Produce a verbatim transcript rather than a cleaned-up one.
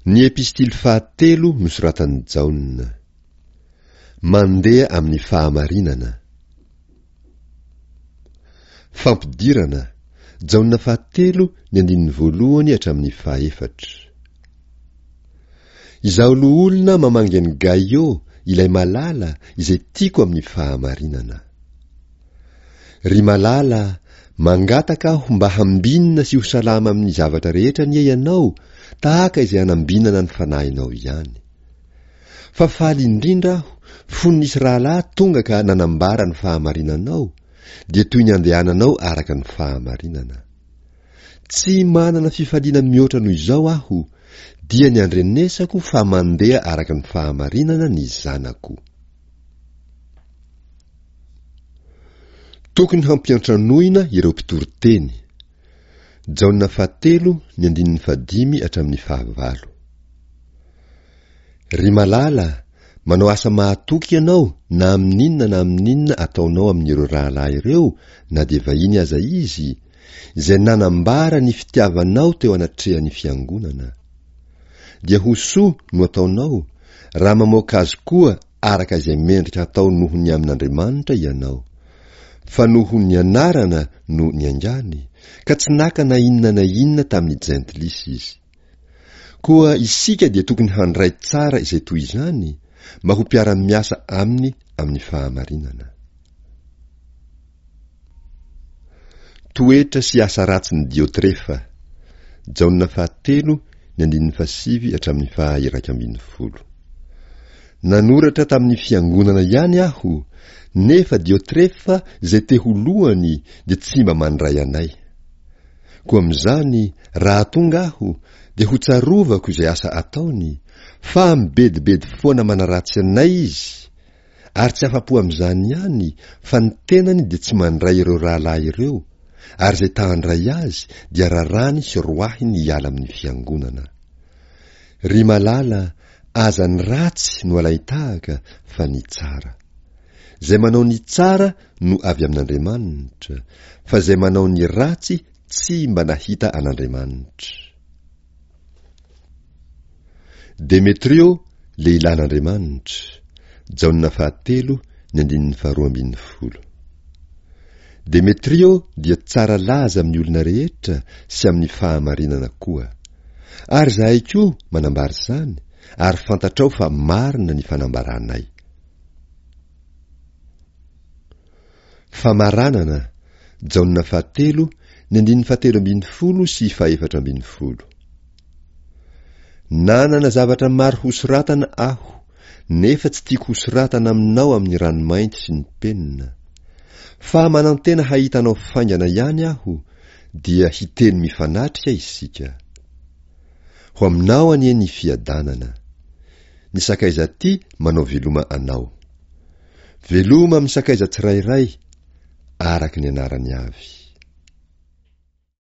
Ny epistily fahatelo nosoratan'i Jaona. Mandeha amin'ny fahamarinana. Fampidirana, Jaona fahatelo ny andininy voalohany hatramin'ny fahaefatra. Izaho loholona mamangy an'i Gaio, ilay malala, izay tiako amin'ny fahamarinana. Ry malala, mangataka aho mba hambinina sy ho salama amin'ny zavatra rehetra anie ianao, tahaka izay anambinana ny fanahinao ihany. Fa faly indrindra aho fony nisy rahalahy tonga ka nanambara ny fahamarinanao, dia toy ny andehananao araka ny fahamarinana. Tsy manana fifaliana mihoatra noho izao aho, dia ny andrenesako fa mandeha araka ny fahamarinana ny zanako. Tokony hampiantranoina ireo mpitory teny. Jaona fahatelo ny andininy fahadimy hatramin'ny fahavalo. Ry malala, manao asa mahatoky ianao na amin'inona na amin'inona ataonao amin'ireo rahalahy ireo na dia vahiny aza izy, izay nanambara ny fitiavanao teo anatrehan'ny fiangonana. Dia ho soa no ataonao raha mamoaka azy koa araka izay mendrika hatao noho ny amin'Andriamanitra ianao. Fa noho ny anarana no niaingàny, ka tsy naka na inona na inona tamin'ny jentilisa izy. Koa isika dia tokony handray tsara izay toy izany, mba ho mpiara-miasa aminy amin'ny fahamarinana. Toetra sy asa ratsin'i Diotrefa. Jaona fahatelo, ny andininy fahasivy hatramin'ny faha-iraika ambin'ny folo. Nanoratra tamin'ny fiangonana ihany aho, nefa Diotrefa izay te ho lohany dia tsy mba mandray anay. Koa amin'izany, raha tonga aho, dia ho tsarovako izay asa ataony, fa mibedibedy foana manaratsy anay izy, Ary tsy afa-po amin'izany ihany, fa ny tenany dia tsy mandray ireo rahalahy ireo, ary izay ta-handray azy dia raràny sy roahiny hiala amin'ny fiangonana. Ry malala, aza ny ratsy no alain-tahaka fa ny tsara. Izay manao ny tsara no avy amin'Andriamanitra, fa izay manao ny ratsy tsy mba nahita an'Andriamanitra. Demetrio, lehilahin'Andriamanitra, Jaona fahatelo, ny andininy faharoa ambin'ny folo. Demetrio dia tsara laza amin'ny olona rehetra sy amin'ny fahamarinana koa. Ary izahay koa manambara izany, ary fantatrao fa marina ny fanambaranay. Famaranana, Jaona fahatelo, ny andininy fahatelo ambin'ny folo sy fahefatra ambin'ny folo. Nanana zavatra maro hosoratana aho, nefa tsy tiako hosoratana aminao amin'ny ranomainty sy ny penina. Fa manantena hahita anao faingana ihany aho, dia hiteny mifanatrika isika. Ho aminao anie ny fiadanana. Ny sakaiza aty manao veloma anao. Veloma amin'ny sakaiza tsirairay, araka ny anarany avy.